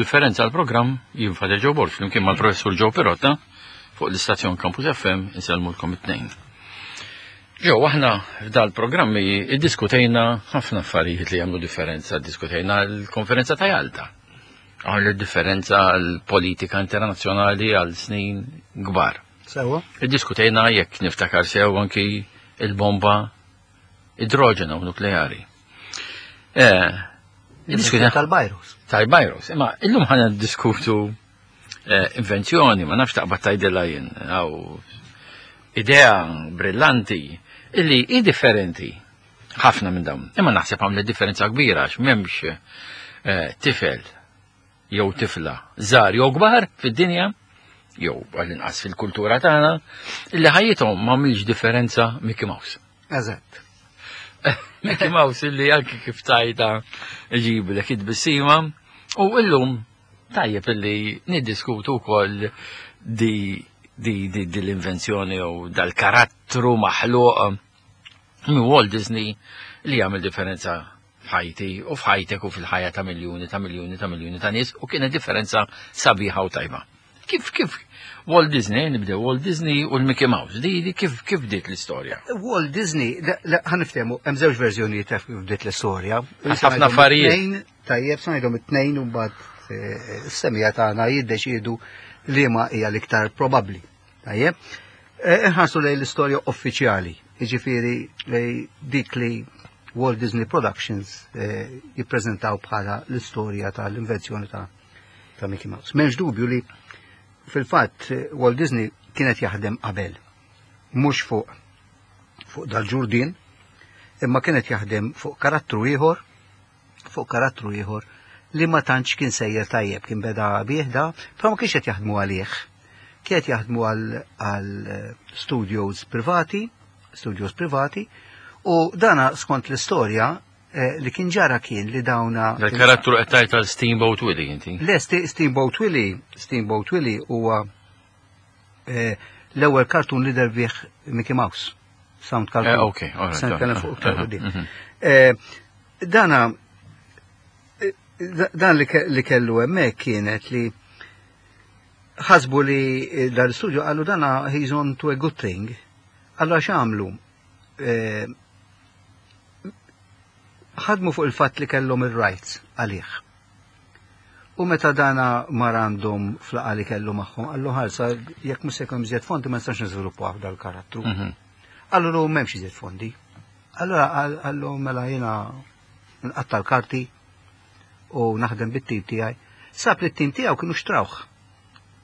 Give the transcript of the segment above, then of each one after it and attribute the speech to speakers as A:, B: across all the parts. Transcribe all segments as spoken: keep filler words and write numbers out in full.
A: Differenza għal-programm jien Father Joe Borg, flimkien mal-professur Joe Pirotta fuq l-istazzjon Campus F M insellmulkom it-tnejn. Joe, aħna f'dal-programmi iddiskutejna ħafna affarijiet li jagħmlu differenza, diskutejna l-konferenza ta' Jalta. Għamlu differenza l-politika internazzjonali għal snin kbar.
B: Sewa?
A: Iddiskutejna, jekk niftakar sew, anki il-bomba idroġena u nukleari. Eh, iddiskutejna
B: tal-virus.
A: Tal-virus. Imma illum ħa niddiskutu eh, invenzjoni, ma nafx taqbad tgħidilha jien, aw idea brillanti, illi hi differenti ħafna minn dawn. Imma naħseb għamlet differenza kbira għax m'hemmx eh, tifel jew tifla żgħar jew kbar fid-dinja jew għall-inqas fil-kultura tagħna illi ħajjithom m'għamilx differenza Mickey Mouse.
B: Eżatt.
A: Mickey Mouse illi anki kif tajta ġiblek id-tbissima u illum tajjeb illi niddiskutu wkoll di di di, di l-invenzjoni u dal-karattru maħluq minn Walt Disney li jagħmel differenza f'ħajti u f'ħajtek u fil-ħajja ta' miljuni ta' miljuni ta' miljuni ta' nies u kienet differenza sabiħa u tajba. Kif kif Walt Disney, nibdew Walt Disney u l-Mickey Mouse, di, di kif kif bdiet l-istorja?
B: Walt Disney, ħa niftehmu, hemm żewġ verżjonijiet ta' kif bdiet l-istorja.
A: Ħafna affarijiet.
B: Tnejn, tajjeb, sa ngħidhom it-tnejn u mbagħad eh, is-semmiegħa tagħna jiddeċiedu li ma hija l-iktar probabbli. Tajjeb. Eh, Inħarsu lejn l-istorja uffiċjali, jiġifieri lej dik li Walt Disney Productions eh, jippreżentaw bħala l-istorja tal-invenzjoni ta' ta' Mickey Mouse. M'hemmx dubju li fil-fatt eh, Walt Disney kienet jaħdem qabel, mhux fuq fuq dal-ġurdin, imma kienet jaħdem fuq karattru ieħor, fuq karattru ieħor li ma tantx kien sejjer tajjeb, kien beda bieħda, però ma kienx qed jaħdmu għalih. Kienet jaħdmu għal għal studios privati, studios privati, u dana skont l-istorja eh, li kien ġara kien li dawna
A: Dal-karattru qed tgħid tal-Steamboat Willie inti.
B: Le, Ste- Steamboat Willie, Steamboat Willie huwa eh, l-ewwel cartoon li deher bih Mickey Mouse. Sound cartoon.
A: Eh, ok, all right,
B: Se nitkellem fuq iktar
A: uh-huh,
B: quddiem.
A: mhm.
B: Eh, Dana eh, da- dan li ke- li kellu hemmhekk kienet li ħasbu li eh, dal-studio qalu dana he's on to a good thing. Allora x'għamlu? Eh, ħadmu fuq il-fatt li kellhom ir-rights għalih. U meta dana mar għandhom f'laqgħa li kellu magħhom, qallu ħalsa jekk mhux se jkun iżjed fondi ma nistax niżviluppaw dal-karattru.
A: Mhm.
B: Qallu lu m'hemmx iżjed fondi. Allora qallu mela jiena nqatta l-karti u naħdem bit-tim tiegħi. Sab li t-tim tiegħu kienu xtrawh.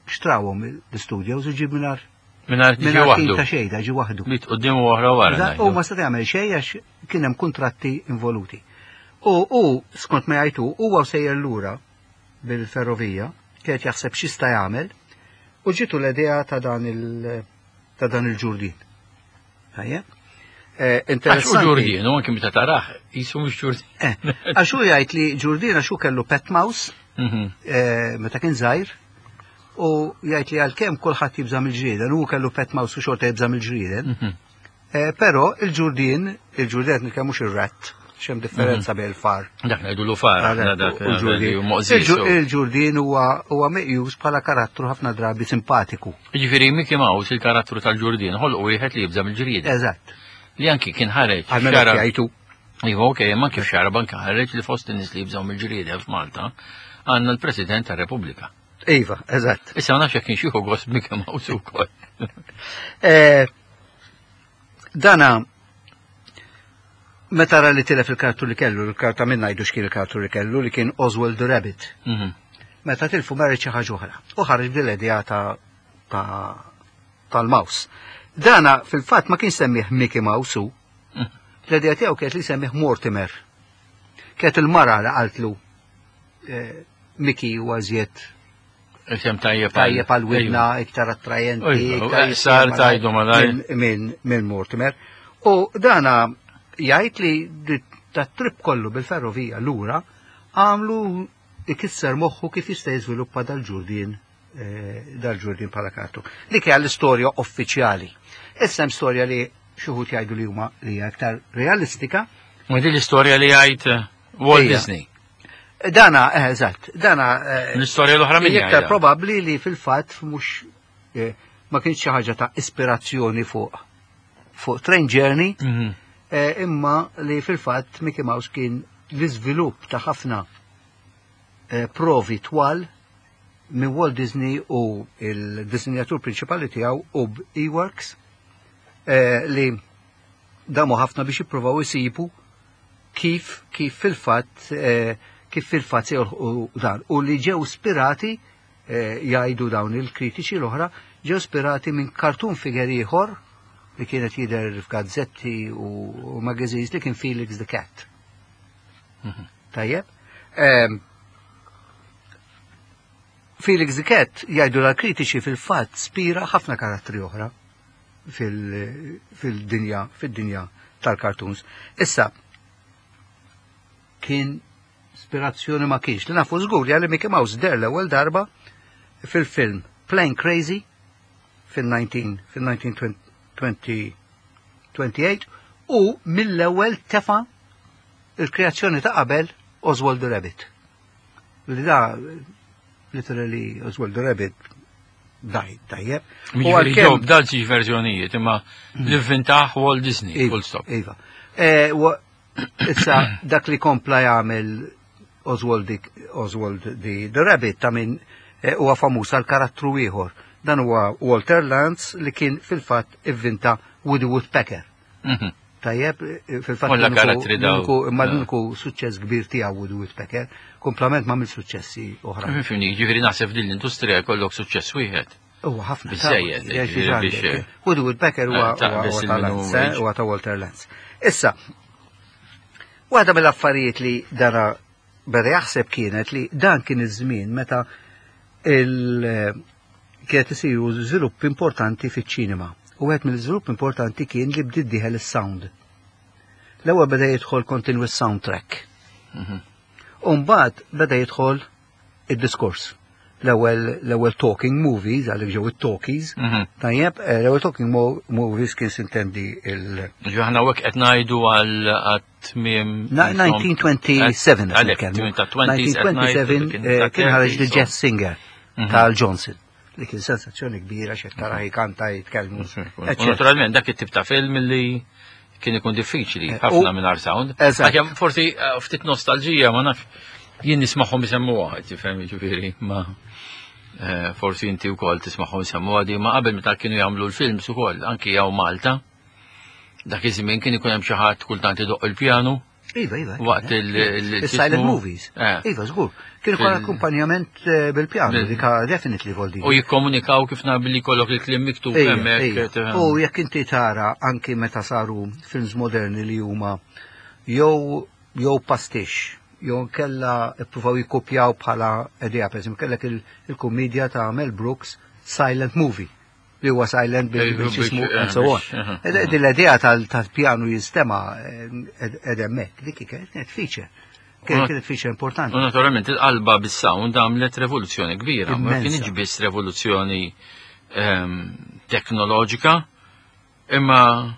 B: Xtrawhom l-studios u ġib mingħajr
A: Mingħajr ġi
B: mingħajr tim
A: waħdu.
B: ta' xejn, da ġi waħdu.
A: Mit quddiem u oħra wara.
B: Da- U
A: ngħidu.
B: ma seta' jagħmel xejn għax kien hemm kuntratti involuti. U u skont ma jgħidu huwa sejjer lura bil-ferrovija, kienet jaħseb x'jista' jagħmel, u ġitu l-idea ta' dan il ta' dan il-ġurdin. Tajjeb? Eh,
A: Għax u
B: Interessanti.
A: ġurdin, u anki meta tarah, jisu mhux ġurdin.
B: Eh, Għax hu jgħid li ġurdin għax hu kellu pet mouse
A: Mhm.
B: eh, meta kien żgħir u jgħid li għalkemm kulħadd jibża' mill-ġrieden, u kellu pet mouse u xorta jibża' mill-ġrieden.
A: Mhm.
B: Eh, Però il-ġurdin, il-ġurdin nitkellem mhux ir-rat, xem differenza bejn il-far.
A: Dak ngħidu lu far, aħna dak
B: U l-ġurdin.
A: li moqżis.
B: Il-ġu- Il-ġurdin huwa huwa meqjus bħala karattru ħafna drabi simpatiku.
A: Ġifieri Mickey Mouse, il-karattru tal-ġurdin, ħolqu wieħed li jibża' mill-ġrieden.
B: Eżatt.
A: Li anki kien ħareġ.
B: Għalmenu
A: xara-
B: jgħidu.
A: Iva, ok, ma kif xara banka ħareġ li fost in-nies li jibżgħu mill-ġrieden f'Malta għandna l-President tar-Repubblika.
B: Iva, eżatt.
A: Issa ma nafx jekk kienx jieħu gost Mickey Mouse ukoll.
B: Eh, Dana, meta ra li tilef il-karattru li kellu, il-karta minna jgħidu x'kien il-karattru li kellu, li kien Oswald the Rabbit.
A: Mhm.
B: Meta tilfu marri xi ħaġa oħra. U ħareġ bil-idea ta' ta' tal-mouse. Dana fil-fatt ma kien semmih Mickey Mouse u.
A: Mhm.
B: L-idea tiegħu kienet li semmih Mortimer. Kienet il-mara li qaltlu eh, Mickey huwa żjed
A: Isem tajjeb
B: tajjeb għal widna, iktar attrajenti,
A: Ejwa,
B: iktar
A: eh, sar
B: jisema
A: tajdu malajr.
B: minn- minn minn Mortimer. U dana jgħid li di- ta' trip kollu bil-ferrovija lura għamlu ikisser moħħu kif jista' jiżviluppa dal-ġurdin eh, dal-ġurdin bħala karattru. Dik hija l-istorja uffiċjali. Issa hemm storja li xi wħud jgħidu li huma li hija aktar realistika.
A: Ma din l-istorja li jgħid eh, Walt
B: Ija.
A: Disney.
B: Dana, eh, eżatt, dana. eh,
A: L-istorja l-oħra min
B: Iktar
A: jgħidha?
B: probabbli li fil-fatt mhux eh, ma kienx xi ħaġa ta' ispirazzjoni fuq fuq Train Journey,
A: Mhm.
B: eh, imma li fil-fatt Mickey Mouse kien l-iżvilupp ta' ħafna eh, provi twal minn Walt Disney u il-disinjatur prinċipali tiegħu Ub Iwerks eh, li damu ħafna biex jippruvaw isibu kif kif fil-fatt eh, kif fil-fatt se jolħqu dan u li ġew ispirati eh, jgħidu dawn il-kritiċi l-oħra ġew ispirati minn cartoon figure ieħor li kienet jidher f'gazzetti u, u magazines li kien Felix the Cat. Tajjeb. Ehm, Felix the Cat jgħidu l-kritiċi fil-fatt spira ħafna karattri oħra fil- fil-dinja fil-dinja tal-cartoons. Issa, kien ispirazzjoni ma kienx. Li nafu żgur li Mickey Mouse deher l-ewwel darba fil-film Plane Crazy fil-nineteen fil-nineteen twenty-eight u mill-ewwel tefa il-kreazzjoni ta' qabel, Oswald the Rabbit. Li da literally Oswald the Rabbit died, tajjeb. U
A: Jiġifieri
B: għalkemm-
A: ġew b'dal żewġ verżjonijiet, imma li vvintaħ Walt Disney,
B: Iva,
A: full stop.
B: Iva. Eh, wa- Issa, dak li kompla jagħmel Oswald, the- Oswald the, the Rabbit ta' min eh, huwa famuż għal karattru ieħor. Dan huwa Walter Lantz li kien fil-fatt ivvinta Woody Woodpecker.
A: Mhm.
B: Tajjeb, eh, fil-fatt
A: Kollha
B: l-uniku-
A: karattri daw.
B: l-uniku- Imma
A: Eh.
B: l-uniku suċċess kbir tiegħu Woody Woodpecker, komplement ma' suċċessi oħra.
A: Fimni, ġifieri naħseb din l-industrija jkollok suċċess wieħed.
B: Huwa ħafna.
A: Biżejjed,
B: ta'
A: ġifieri biex-
B: biex. Woody Woodpecker huwa
A: Eh, ta'
B: huwa-
A: biss
B: huwa ta'
A: il-minimum
B: Lantz, eh,
A: wage.
B: huwa ta' Walter Lantz. Issa, waħda mill-affarijiet li dara beda jaħseb kienet li dan kien iż-żmien meta il kienet isiru żvilupp importanti fiċ-ċinema. U wieħed mill-żvilupp importanti kien li bdiet dieħel is-sound. L-ewwel beda jidħol continuous soundtrack.
A: Mhm.
B: U mbagħad beda jidħol id-diskors. L-ewwel l-ewwel talking movies, għalhekk ġew it-talkies.
A: Mhm.
B: Tajjeb, eh, l-ewwel talking mo- movies kien sintendi il-
A: Ġi aħna hekk qed ngħidu għal għat-tmiem.
B: Na- nineteen twenty-seven qed
A: Għalhekk,
B: nitkellmu.
A: tmiem ta' twenties qed ngħidu,
B: nineteen twenty-seven
A: kien
B: eh,
A: ta'
B: kien ħareġ The
A: thirties,
B: Jazz Singer
A: Mhm.
B: ta' Al Johnson li kien sensazzjoni kbira xed tara jkanta jitkellmu.
A: U
B: Eccetera.
A: naturalment dak it-tip ta' film li kien ikun diffiċli
B: Eh,
A: ħafna
B: u-
A: minn sound.
B: Eżatt.
A: Għax forsi eh, ftit nostalġija, ma nafx, jien nismagħhom isemmuha, tifhem, ġifieri, ma eh, forsi inti wkoll tismagħhom isemmuha di, ma qabel meta kienu jagħmlu l-films ukoll anki jew Malta. Dak iż-żmien kien ikun hemm xi ħadd kultant idoq il-pjanu
B: Iva, iva.
A: waqt il- il-
B: Il-silent
A: x'ismu?
B: movies.
A: Eh.
B: Iva, żgur. Kienu kwa
A: Fil-
B: akkumpanjament eh, bil-pjanu,
A: Bil-
B: dika definitely vol
A: U jikkomunikaw kif nar billi kollok il-kliem miktub
B: Ejja,
A: hemmhekk.
B: ejja.
A: Tifhem.
B: U jekk inti tara anki meta saru films moderni li huma jew jew pastiche, jew kella ippruvaw jikkopjaw bħala idea, per eżempju, kellek il- il-kumedja ta' Mel Brooks Silent Movie li huwa silent bil
A: Ej,
B: bil xismu
A: biex-
B: and so on.
A: biex- aha,
B: Ed- Din l-idea tal- tal-pjanu jinstema ed hemmhekk, dik kienet feature. Kienet kienet feature importanti.
A: U naturalment il-qalba bis-sound għamlet revoluzzjoni kbira, ma
B: Immensa.
A: kienx biss revoluzzjoni ehm, teknoloġika, imma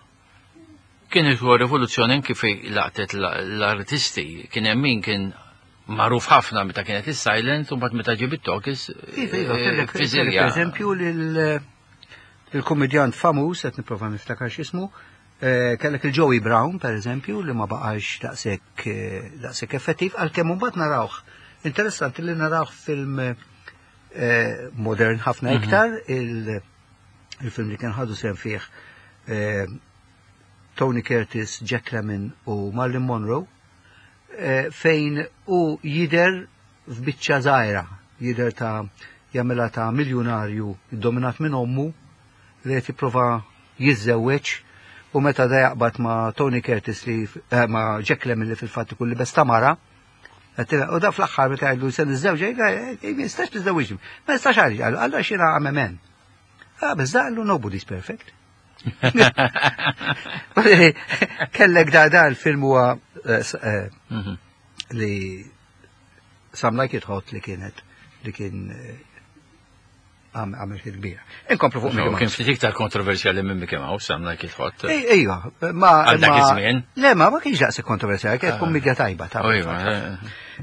A: kienet ukoll rivoluzzjoni anki fej laqtet l- l-artisti. Kien hemm min kien magħruf ħafna meta kienet is-silent u mbagħad meta ġib it-talkies
B: Iva, iva,
A: eh,
B: kellek kellek
A: fiżilja.
B: per eżempju lil il-komedjant famuż, qed nipprova niftakar x'ismu, eh, kellek il-Joey Brown, per eżempju, li ma baqax daqshekk eh, daqshekk effettiv, għalkemm mbagħad narawh. Interessanti li narawh film eh, modern ħafna iktar, il- il-film li kien ħadu sem fih eh, Tony Curtis, Jack Lemmon u Marilyn Monroe, eh, fejn u jider f'biċċa żgħira, jider ta' jagħmilha ta' miljonarju dominat minn ommu li qed jipprova jiżżewweġ u meta da jaqbad ma' Tony Curtis li eh, ma' Jack Lemmon li fil-fatt ikun libes ta' mara, qed- u da fl-aħħar meta jgħidu se niżżewġ, jgħid, "Ma jistax tiżżewġni." Ma jistax għaliex, qallu, għallu għax jiena I'm a man. Ah, biss da qallu nobody's perfect. Kellek da da il-film huwa eh, s- eh,
A: Mhm.
B: li Some Like It Hot li kienet li kien eh, Għamel hit kbira. Inkomplu fuq Mickey
A: Kien
B: Mouse.
A: ftit iktar kontroversjali minn Mickey Mouse, għamna kif ħodd.
B: Ejja, ma.
A: Għal dak
B: ma-
A: iż-żmien.
B: Le, ma ma kienx daqshekk kontroversjali, kienet kummedja tajba ta'
A: Ejwa,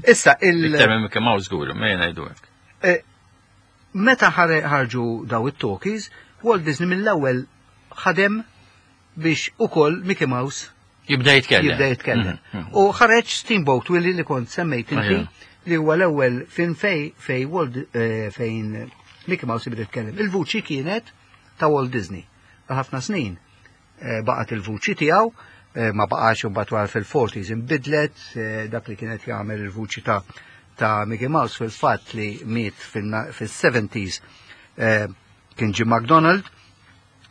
B: Issa, il.
A: iktar minn Mickey Mouse żgur, ma jena jgħidu hekk.
B: eh, Meta ħare- ħarġu daw it-talkies, Walt Disney mill-ewwel ħadem biex ukoll Mickey Mouse
A: Jibda jitkellem.
B: jibda jitkellem.
A: Mhm, mhm.
B: U ħareġ Steamboat Willie li kont semmejt inti
A: Ejja.
B: li huwa l-ewwel film fej fej Walt eh, fejn Mickey Mouse jibda jitkellem. Il-vuċi kienet ta' Walt Disney. Għal ħafna snin eh, baqgħet il-vuċi tiegħu, eh, ma baqax imbagħad wara fil-forties inbidlet, eh, dak li kienet jagħmel il-vuċi ta' ta' Mickey Mouse fil-fatt li miet fil-seventies eh, kien Jim McDonald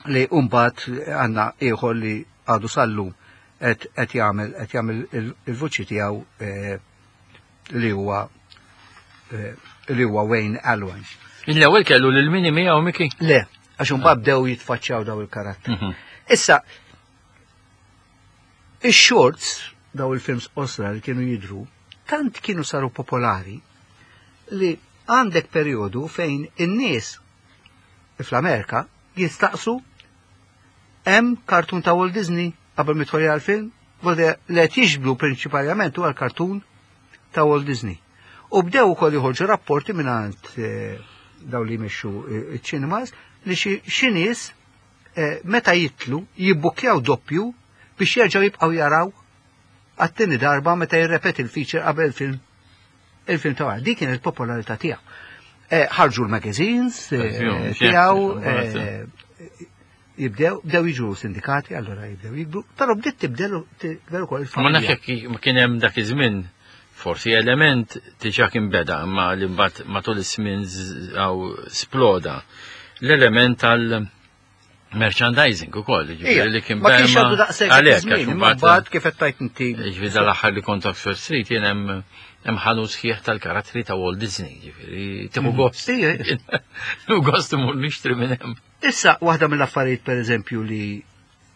B: li mbagħad għandna ieħor li għadu sal-lum qed qed jagħmel qed jagħmel il- il-vuċi tiegħu eh, li huwa eh, li huwa Wayne Allwine.
A: L-ewwel kellu lil Minnie miegħu Mickey.
B: Le, għax imbagħad bdew jitfaċċjaw daw il-karatteri.
A: Mhm.
B: Issa, ix-shorts, daw il-films qosra li kienu jidru, tant kienu saru popolari li għandek periodu fejn in-nies fl-Amerika jistaqsu hemm kartun ta' Walt Disney qabel midħol għal-film, li qed jiġbdu prinċipalment huwa l-kartun ta' Walt Disney. U bdew ukoll joħorġu rapporti mingħand eh, daw li jmexxu eh, iċ-cinemas li xi xi nies eh, meta jitlu jibbukkjaw doppju biex jerġgħu jibqgħu jaraw għat-tieni darba meta jirrepeti il-feature qabel il-film il-film ta' wara. Dik kienet il-popolarità tiegħu. Eh, Ħarġu l-magazines eh, tiegħu, eh, jibdew, bdew jiġu sindikati, allora jibdew jikbru, però bdiet tibdel tibdel ukoll
A: Ma nafx
B: il-familja.
A: jekk ma kien hemm dak iż-żmien forsi element diġà kien beda, imma li mbagħad matul iż-żmien għaw sploda. L-element tal-merchandising ukoll, ġifieri li kien
B: Ma kienx
A: beda
B: għadu daqshekk
A: għalhekk,
B: iż-żmien,
A: għax
B: imma
A: imbagħad-
B: mbagħad kif qed tajt inti.
A: Ġifieri dal-aħħar li kont Oxford Street jien hemm hemm ħanut sħiħ tal-karattri ta' Walt Disney, ġifieri tieħu gost.
B: Ija.
A: Tieħu gost imur nixtri minn hemm.
B: Issa, waħda mill-affarijiet per eżempju li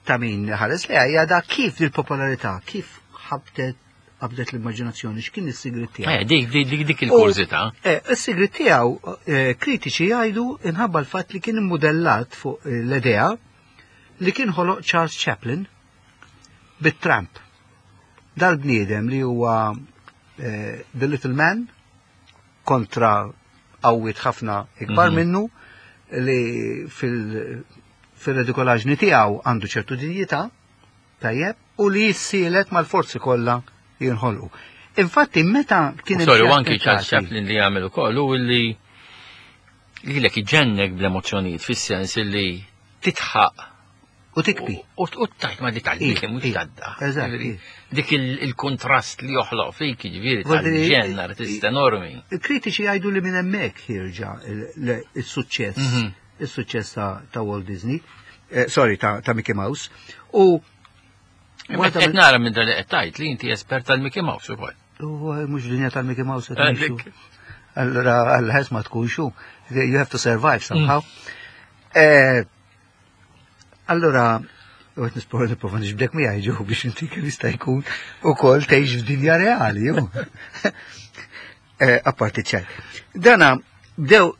B: ta' min ħares li hija da kif il-popolarità, kif ħabtet qabdet l-immaġinazzjoni, x'kien is-sigrit tiegħu.
A: Eh, dik dik dik dik il-kurżità.
B: Eh, Is-sigrit tiegħu eh, kritiċi jgħidu inħabba l-fatt li kien immodellat fuq eh, l-idea li kien ħoloq Charles Chaplin bit-Tramp. Dal-bniedem li huwa eh, The Little Man kontra qawwiet ħafna ikbar
A: Mhm.
B: minnu li fil- fil-redikolaġni tiegħu għandu ċertu dinjità, tajjeb, u li jissielet mal-forzi kollha jinħolqu. Infatti, meta kien hemm
A: Sorry,
B: xi
A: u anki Charles
B: attentati-
A: Chaplin li għamel ukoll u li lilek iġennek bl-emozzjonijiet fis-sens li titħaq
B: U tikbi.
A: u u tajt ma li tal-biki
B: Ija,
A: mhux
B: ija,
A: tadda.
B: eżatt,
A: Ġifieri,
B: ija.
A: Dik il- il-kontrast li joħloq fik, ġifieri
B: Vuol dire-
A: tal-ġenn artist enormi.
B: Il-kritiċi jgħidu li minn hemmhekk ħierġa il- il-suċċess,
A: Mhm.
B: il-suċċess ta' ta' Walt Disney, eh, sorry, ta' ta' Mickey Mouse. U
A: Qed qed nara minn dal qed tgħid li inti espert tal-Mickey Mouse ukoll.
B: U mhux dinja tal-Mickey Mouse qed
A: Eh,
B: ngħixu.
A: dik.
B: Allora, għall-ħes ma tkunxu. You have to survive somehow. Eh, Allora, u għet nispora nipprova nġibdek miegħi ġew biex inti kemm jista' jkun ukoll tgħix f'dinja reali, ju. Eh, Apparti ċaj. Dana bdew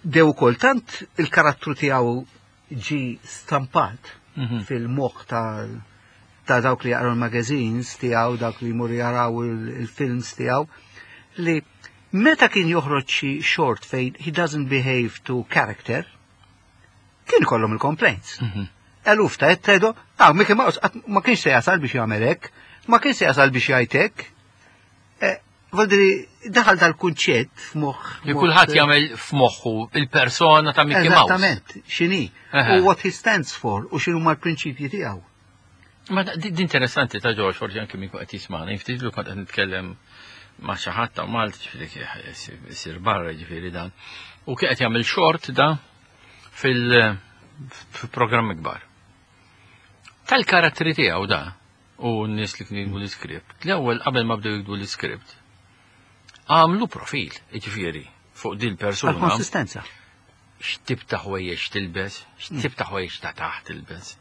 B: bdew ukoll tant il-karattru tiegħu ġi stampat
A: Mhm.
B: fil-moħħ ta' ta' dawk li jaqraw il-magazines tiegħu, dawk li jmorru jaraw il- il-films tiegħu, li meta kien joħroġ xi short fejn he doesn't behave to character, kien kollhom il-complaints.
A: Mhm.
B: Eluf ta' jttedu, ah, Mickey Mouse qatt ma kienx se jasal biex jagħmel hekk, ma kienx se jasal biex jgħid hekk. Eh, Voldiri, daħal dal-kunċett f'moħħ.
A: Li kulħadd jagħmel f'moħħu il-persona ta' Mickey Mouse.
B: Eżattament, x'inhi,
A: Aha.
B: u what he stands for, u x'inhu l-prinċipji tiegħu.
A: Ma da- di di interessanti ta' George, forsi anke min qed jisma'na, ftit lu kont qed nitkellem ma' xi ħadd ta' Malta, ġifieri isir barra ġifieri dan. U kien qed jagħmel short da fil fil-programm kbar. Tal-karattri tiegħu da u n-nies li kienu jiktbu l-iskript. L-ewwel qabel ma bdew jiktbu l-iskript, għamlu profil, ġifieri, fuq din persuna
B: Għal-konsistenza.
A: X'tip ta' ħwejjeġ tilbes, x'tip ta' ħwejjeġ ta' taħt tilbes,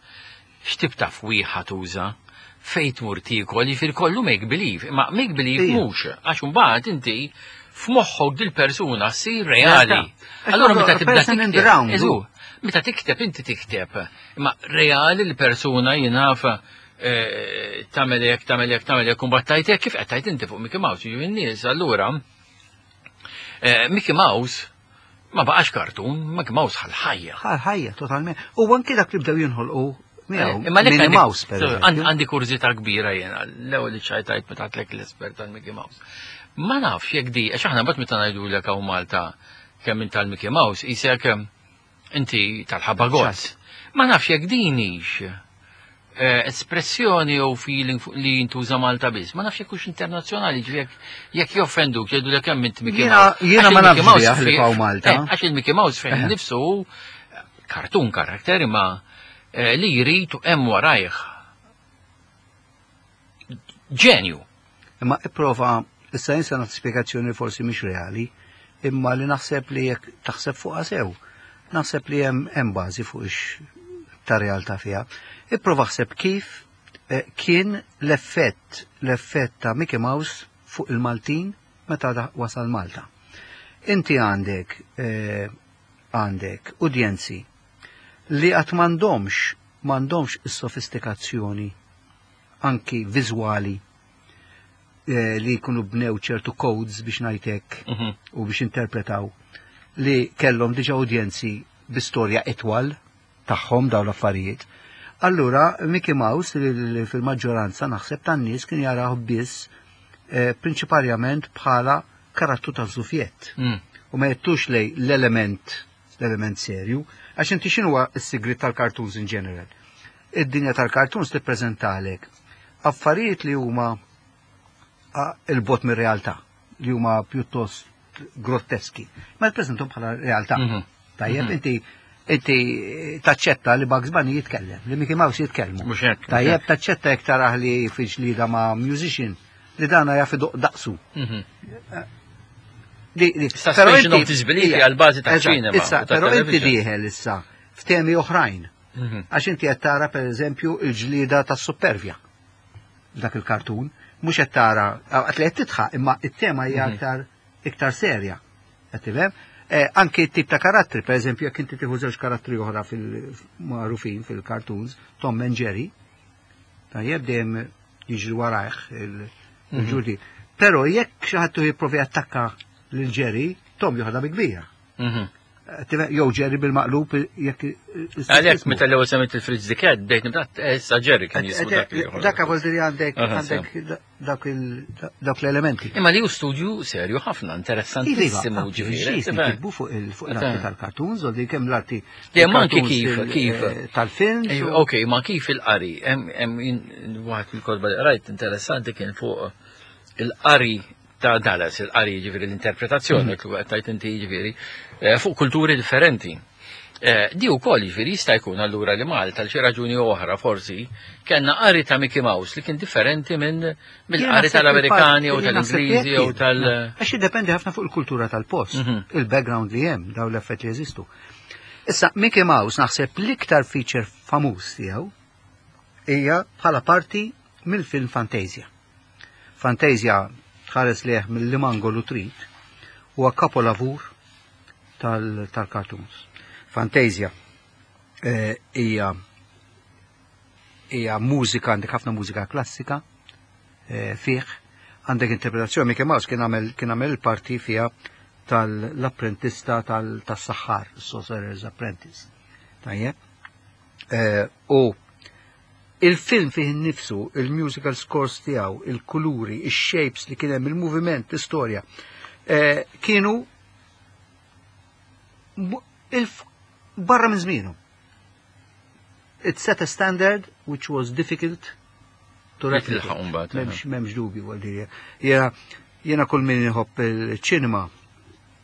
A: x'tip ta' fwieħa tuża, fejn tmur tiekol, jiġifieri kollu make believe, ma make believe
B: Ija.
A: mhux, għax imbagħad inti F'moħħok dil-persuna ssir reali.
B: Realtà.
A: Allora meta tibda
B: Person in the
A: tikteb,
B: round.
A: eżu, meta tikteb inti tikteb, imma reali l-persuna jinaf eh, tagħmel hekk, tagħmel hekk, tagħmel hekk, u mbagħad tajt hekk, kif qed tajt inti fuq Mickey Mouse, jiġifieri n-nies allura eh, Mickey Mouse ma baqax kartun, Mickey Mouse ħal-ħajja.
B: Ħajja, totalment. U anki dak li bdew jinħolqu miegħu.
A: Eh, Imma lek
B: Minnie
A: għandi-
B: Mouse, per
A: għandi
B: eżempju.
A: għandi kurżità kbira jena, l-ewwel li ċajtajt meta għedtlek l-espert tal-Mickey Mouse. Ma nafx jekk di, għax aħna mbagħad meta ngħidulek hawn Malta kemm int tal-Mickey Mouse, isek eh, inti tal-ħabba gozz. Ma nafx jekk din hix eh, espressjoni jew feeling fuq li jintuża Malta biss. Ma nafx jekk hux internazzjonali, ġifieri jekk jekk joffenduk jgħidulek kemm int Mickey
B: Jiena-
A: Mouse.
B: jiena
A: Għax
B: ma
A: il-Mickey
B: nafx
A: Mouse
B: biha li
A: fi-
B: hawn Malta.
A: eh, Għax il-Mickey Mouse fejn nifsu hu cartoon character imma eh, li jrid u hemm warajh ġenju.
B: Imma ipprova, issa jinsa nagħti spjegazzjoni forsi mhix reali, imma li naħseb li jekk taħseb fuqha sew, naħseb li hemm hemm bażi fuq ix ta' realtà fiha. Ipprova ħseb kif eh, kien l-effett l-effett ta' Mickey Mouse fuq il-Maltin meta da- wasal Malta. Inti għandek eh, għandek udjenzi li qatt m'għandhomx m'għandhomx is-sofistikazzjoni anki viżwali eh, li jkunu bnew ċertu codes biex ngħidlek
A: Mhm.
B: u biex interpretaw li kellhom diġa udjenzi bi storja itwal tagħhom dawn l-affarijiet. Allura Mickey Mouse li li fil-maġġoranza naħseb tan-nies kien jaraw biss eh, prinċipalment bħala karattru ta' żufjett
A: Mm.
B: u ma jettux lej l-element l-element serju, għax inti x'inhuwa s-sigrit tal-cartoons in general. Id-dinja tal-cartoons tippreżentalek affarijiet li huma a, il-bot mir-realtà, li huma pjuttost grotteski, ma tippreżentom bħala realtà.
A: Mhm.
B: Tajjeb, inti inti taċċetta li Bugs Bunny jitkellem, li Mickey Mouse jitkellmu.
A: Mhux hekk.
B: Tajjeb, taċċetta jekk tarah li fi ġlida ma' musician li dana jaf idoqq daqsu.
A: Mhm.
B: Li- li-
A: Suspension
B: però inti-
A: of disbelief
B: Ija,
A: għal bażi ta'
B: eżatt,
A: ċinema
B: Issa,
A: u ta'
B: però inti
A: television.
B: dieħel issa f'temi oħrajn.
A: Mhm.
B: Għax inti qed tara pereżempju il-ġlida tas-supervja dak il-kartun, mhux qed tara għat li qed tidħaq, imma it-tema hija
A: Mhm.
B: aktar iktar serja. Qed tifhem? Eh, anki t-tip ta' karattri, per eżempju, jekk inti tieħu żewġ karattri oħra fil-magħrufin fil-cartoons, Tom and Jerry, tajjeb dejjem jiġri warajh il-ġurdi. Però jekk xi ħadd jipprovi attakka lil Jerry, Tom joħodha bi kbira.
A: Mhm.
B: Eh, tifhem? Jew Jerry bil-maqlub jekk
A: Għalhekk meta l-ewwel semmejt il-Fritz the Cat bdejt nibda issa Jerry kien jismu dak li joħroġ.
B: Dak vuol dire għandek
A: Aha,
B: għandek dak il- dak l-elementi.
A: Imma li hu studju serju ħafna, interessantissimu ġifieri.
B: Iva, kitbu fuq il- fuq l-arti
A: Tifhem.
B: tal-cartoons, u di kemm l-arti
A: Le, ma anki
B: tal-cartoons
A: kif-
B: il-
A: kif.
B: eh, tal-films.
A: Ejju,
B: u-
A: Ok, ma kif il-qari, hemm hemm jien- waħed mill-kotba li qrajt interessanti kien fuq il-qari ta' Dallas, il-qari ġifieri l-interpretazzjoni, mm. li tajt inti ġifieri, eh, fuq kulturi differenti. Eh, Di wkoll ġifieri jista' jkun allura li Malta għal xi raġuni oħra forsi kellna qari ta' Mickey Mouse li kien differenti minn
B: Jien
A: mill-qari
B: naħseb
A: tal-Amerikani
B: il-fatt-
A: jew
B: jien naħseb
A: tal-Ingliżi
B: jekk
A: jew
B: kien.
A: tal-
B: Għax jiddependi ħafna fuq il-kultura tal-post,
A: Mhm.
B: il-background li hemm, daw l-effett li jeżistu. Issa, Mickey Mouse naħseb l-iktar feature famuż tiegħu hija bħala parti mill-film Fantasia. Fantasia tħares lejh mill-limangolu trid huwa kapolavur tal- tal-cartoons. Fantasia eh, hija hija mużika, għandek ħafna mużika klassika eh, fih, għandek interpretazzjoni, Mickey Mouse kien għamel kien għamel il-parti fiha tal-apprentista tal-saħħar, Sorcerer's Apprentice. Tajjeb. Eh, U il-film fih innifsu, il-musical scores tiegħu, il-kuluri, il-shapes li kien hemm, il-moviment, l-istorja, eh, kienu mu- il- barra minn żmienu. It set a standard which was difficult to
A: Li
B: replicate.
A: tilħaq mbagħad,
B: M'hemmx m'hemmx dubju għal dire. Jena jena kull min iħobb il-ċinema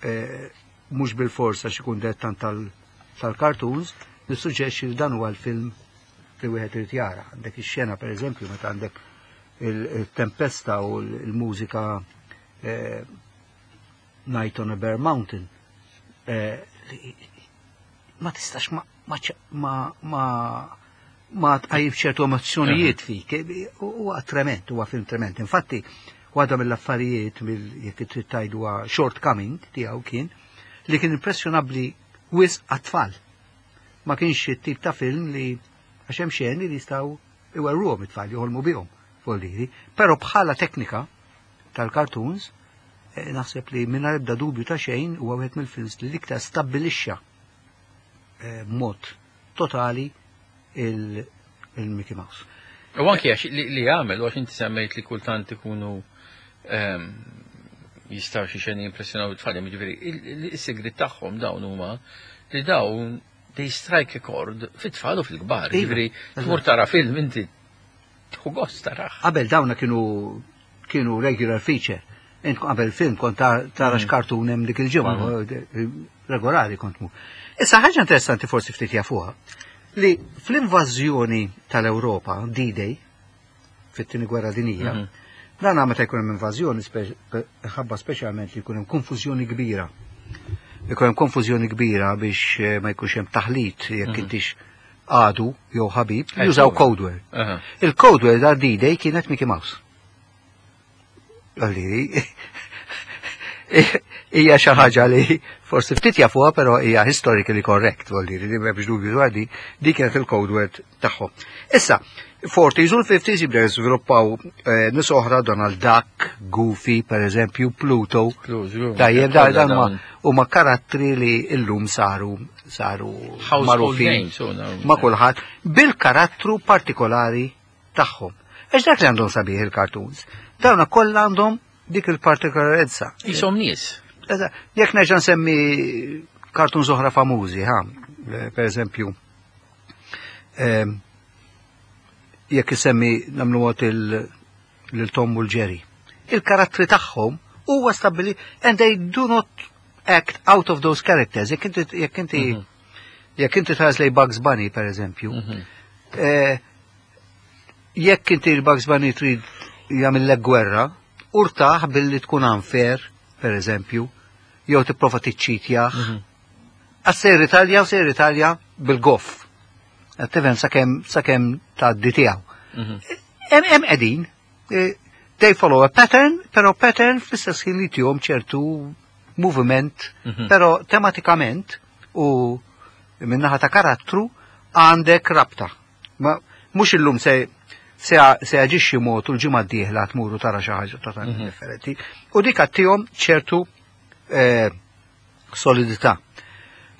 B: eh, mhux bil-forsa xi jkun dettant tal- tal-cartoons, nissuġġerixxi li dan huwa l-film li wieħed irid jara. Għandek ix-xena pereżempju meta għandek il-tempesta u l-mużika eh, Night on a Bare Mountain. Eh, li- ma tistax ma ma ma ma ma tqajjim ċertu emozzjonijiet fik. Huwa trement, huwa film trement. Infatti, Waħda mill-affarijiet mill jekk trid tgħidu shortcoming tiegħu kien li kien impressjonabbli wisq għat-tfal. Ma kienx it-tip ta' film li għax hemm xeni li jistgħu iwerruhom it-tfal joħolmu bihom voldiri, però bħala teknika tal-cartoons eh, naħseb li mingħajr ebda dubju ta' xejn huwa wieħed mill-films li l-iktar stabbilixxa eh, mod totali il-Mickey Mouse.
A: U anki għax li li għamel, u għax inti semmejt li kultant ikunu ehm, jistaw xi xeni impressjonaw it-tfal, jiġifieri il-sigrit tagħhom dawn huma li dawn they strike a chord fit-tfal u fil-kbar.
B: Iva,
A: Jiġifieri tmur tara film inti tieħu gost tarah.
B: Qabel dawna kienu kienu regular feature. Int qabel film kont tara mm. x'kartun hemm dik il-ġimgħa, mm. regolari kont mu. Issa ħaġa interessanti forsi ftit jafuha li fl-invażjoni tal-Ewropa, D-Day, fit-tieni gwerra dinjija, mm -hmm. dan meta jkun hemm invażjoni ħabba speċjalment li jkun hemm konfużjoni kbira. Jkun hemm konfużjoni kbira biex eh, ma jkunx hemm taħlit jekk mm -hmm. intix għadu jew ħabib, jużaw code word. Il-code word għal D-Day kienet Mickey Mouse. Għalli, hija xi ħaġa li forsi ftit jafuha però hija historically correct, vuol li m'hemmx dubju dwar di, di kienet il-code word tagħhom. Issa, forties u l-fifties jibdew jiżviluppaw eh, nies oħra Donald Duck, Goofy, per eżempju, Pluto. Tajjeb, dan huma karattri li illum saru saru
A: magħrufin
B: ma' kulħadd bil-karattru partikolari tagħhom. Għax dak li għandhom sabiħ il-cartoons. Dawna kollha għandhom dik il-partikolarezza.
A: Jisom nies.
B: Jekk nerġa' nsemmi cartoons oħra famużi, ha, per eżempju, ehm, jekk isemmi nagħmlu għot il-Tom u l-Jerry. Il-karattri tagħhom huwa stabili and they do not act out of those characters. Jekk inti jekk inti mhm. jekk inti tħares lej Bugs Bunny per eżempju, mhm. eh, jekk inti l-Bugs Bunny trid jagħmillek gwerra, urtaħ billi tkun unfair, per eżempju, jew tipprova tiċċitjah. Mhm. Għax se ritalja u se ritalja bil-goff. Tifhem sakemm sakemm tgħaddi tiegħu. Mhm. Hemm qegħdin, e, they follow a pattern, però pattern fl-istess ħin li tihom ċertu movement, mhm. però tematikament u minnaħa ta' karattru għandek rabta. Ma mhux illum se se se jaġixxi mod u l-ġimgħa d-dieħla tmuru tara xi ħaġa totalment differenti. U dik għattihom ċertu eh, solidità.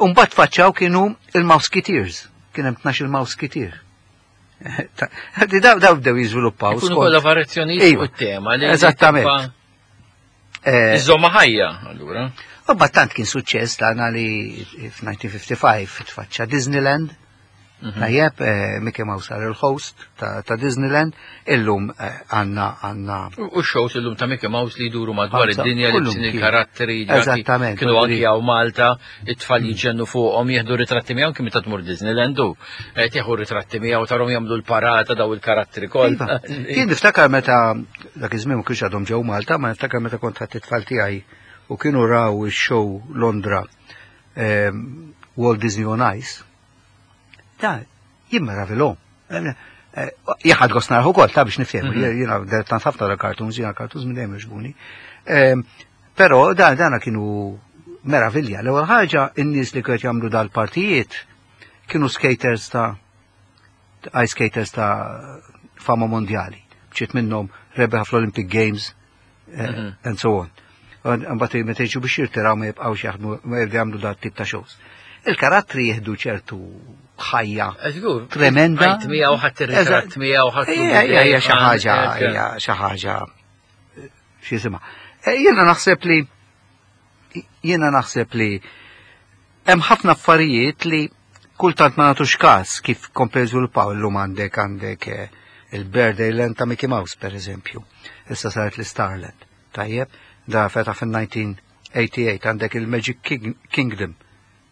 B: Umbagħad faċċaw kienu il-Mouseketeers, kien hemm tnax il-Mouseketeer. Di daw daw bdew jiżviluppaw.
A: Ikunu kollha variazzjonijiet
B: Iva.
A: fuq it-tema li
B: Eżattament. Eh,
A: Iżomma ħajja, allura.
B: U tant kien suċċess tagħna li f'elf disa' mija u ħamsa u ħamsin tfaċċa Disneyland. Tajjeb, eh, Mickey Mouse sar il-host ta' ta' Disneyland, illum eh, għanna għanna
A: U u shows illum ta' Mickey Mouse li jduru madwar
B: Ħamsa,
A: id-dinja li
B: kullum
A: bsin
B: kien.
A: il-karatteri ġaki
B: Eżattament,
A: kienu anki
B: voldiri.
A: hawn Malta, it-tfal jiġġennu fuqhom jieħdu ritratti miegħu kien meta tmur Disneyland u eh, tieħu ritratti miegħu tarhom jagħmlu l-parata daw il-karattri
B: Iva.
A: kollha.
B: Jien niftakar meta dak iż-żmien ma kienx għadhom ġew Malta, ma niftakar meta kont ħadd it-tfal tiegħi u kienu raw ix-show Londra ehm, Walt Disney on Ice. Da, jien meravilhom. Jaħad gost narah ukoll, ta' biex niftehmu, jiena tant ħafna da cartoons, jiena cartoons minn dejjem jogħġbuni. Ehm, Però da dana kienu meravilja. L-ewwel ħaġa in-nies li kienu jagħmlu dal-partijiet kienu skaters ta' ice skaters ta' fama mondjali. Ċit minnhom rebeħ fl-Olympic Games eh, and so on. Mbagħad meta jiġu biex jirtiraw ma jibqgħux jaħdmu ma jibdew jagħmlu dat tip ta' shows. Il-karattri jieħdu ċertu ħajja
A: Żgur.
B: tremenda.
A: Għajt miegħu ħadd ir-ritratt miegħu ħadd
B: Hija hija hija xi ħaġa hija xi ħaġa xi jisimha. Eh, Jiena naħseb li jiena naħseb li hemm ħafna affarijiet li kultant ma nagħtux każ kif komplew żviluppaw illum għandek għandek eh, il-Birthday Land ta' Mickey Mouse per eżempju. Issa saret l-Starland. Tajjeb, da fetaħ fil-elf disa' mija u tmienja u tmenin għandek il-Magic King- Kingdom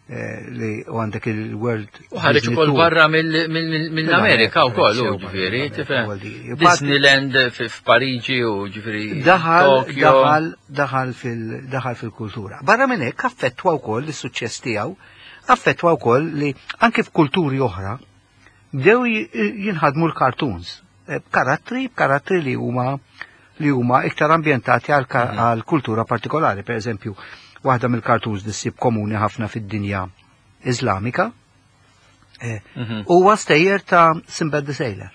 B: eh, li u għandek il-World
A: U ħareġ
B: Disney
A: ukoll
B: Tour.
A: barra mill- mill- mill-Amerika wkoll, u ġifieri, tifhem. Disneyland f- f'Pariġi u ġifieri
B: Daħal,
A: Tokyo.
B: daħal, daħal fil, daħal fil-kultura. Barra minn hekk affettwa wkoll is-suċċess tiegħu, affettwa wkoll li anke f'kulturi oħra bdew j- jinħadmu l-cartoons. Eh, Karattri, karattri li huma li huma iktar ambjentati għal ka- għal kultura partikolari. Per eżempju, waħda mill-cartoons li ssib komuni ħafna fid-dinja Iżlamika eh,
A: Mhm.
B: huwa stejjer ta' Sinbad the Sailor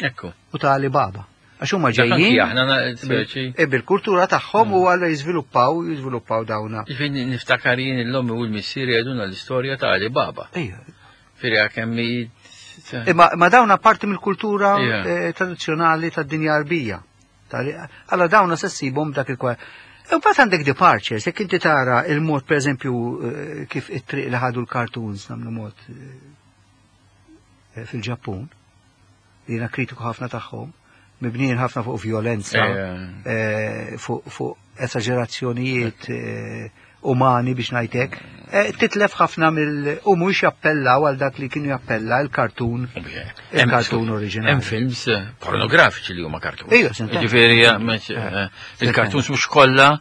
A: Ekku.
B: u ta' Alibaba. Għax huma
A: Dak anki
B: ġejjin
A: aħna na- speċi.
B: e bil-kultura tagħhom u għalla jiżviluppaw jiżviluppaw dawna.
A: Ġifieri niftakar jien l-ommi u l-missieri jgħidulna l-istorja ta' Ali Baba.
B: Ejja.
A: Firja kemm hi-
B: Imma ma dawna parti mill-kultura
A: Ija.
B: eh, tradizzjonali tad-dinja Arbija. Alla dawna se ssibhom dak il-kwa. U mbagħad għandek departures, jekk inti tara il-mod pereżempju eh, kif it-triq li ħadu l-cartoons nagħmlu mod eh, fil-Ġappun, li jiena kritiku ħafna tagħhom, mibnijin ħafna fuq violenza,
A: Ejja.
B: eh, fuq fuq esagerazzjonijiet eh, umani biex ngħidlek, eh, titlef ħafna mill u mhux jappellaw għal dak li kienu jappella il-kartun il-kartun oriġinali.
A: Hemm films eh, pornografiċi li huma cartoons.
B: Ejja, sentence.
A: Ġifieri eh, mhux, eh, il-cartoons mhux kollha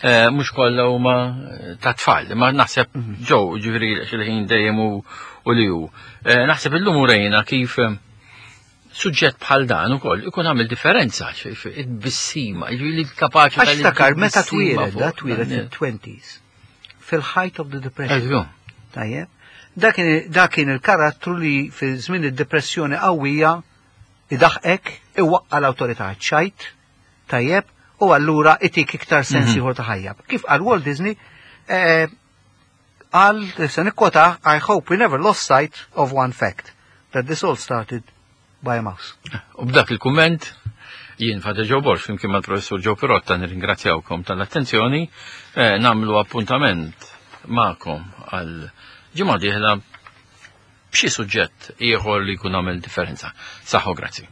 A: eh, mhux kollha huma eh, ta' tfal, ma naħseb
B: Mhm.
A: ġew ġifieri xil-ħin dejjem u u li hu. Eh, Naħseb illum urejna kif eh, suġġett bħal dan ukoll ikun għamil differenza, it-bissima, ġifieri kapaċi
B: Għax takar, meta
A: tal-tbissima
B: twieled,
A: fuq
B: da twieled
A: dan.
B: fil-twenties, fil-height of the depression.
A: Ekku.
B: Tajjeb. Dak kien dak kien il-karattru li fi żmien id-depressjoni qawwija idaħqek, iwaqqa l-awtorità ċajt, tajjeb, u allura itik iktar sens
A: Mhm.
B: ieħor ta' ħajja. Kif qal Walt Disney, eh, qal se nikkwota, "I hope we never lost sight of one fact, that this all started by a mouse."
A: U b'dak il-kumment, jien Father Joe Borg, flimkien mal-professur Joe Pirotta, nirringrazzjawkom tal-attenzjoni, eh, nagħmlu appuntament magħkom għal ġimgħa dieħla b'xi suġġett ieħor li jkun għamel differenza. Saħħa u grazzi.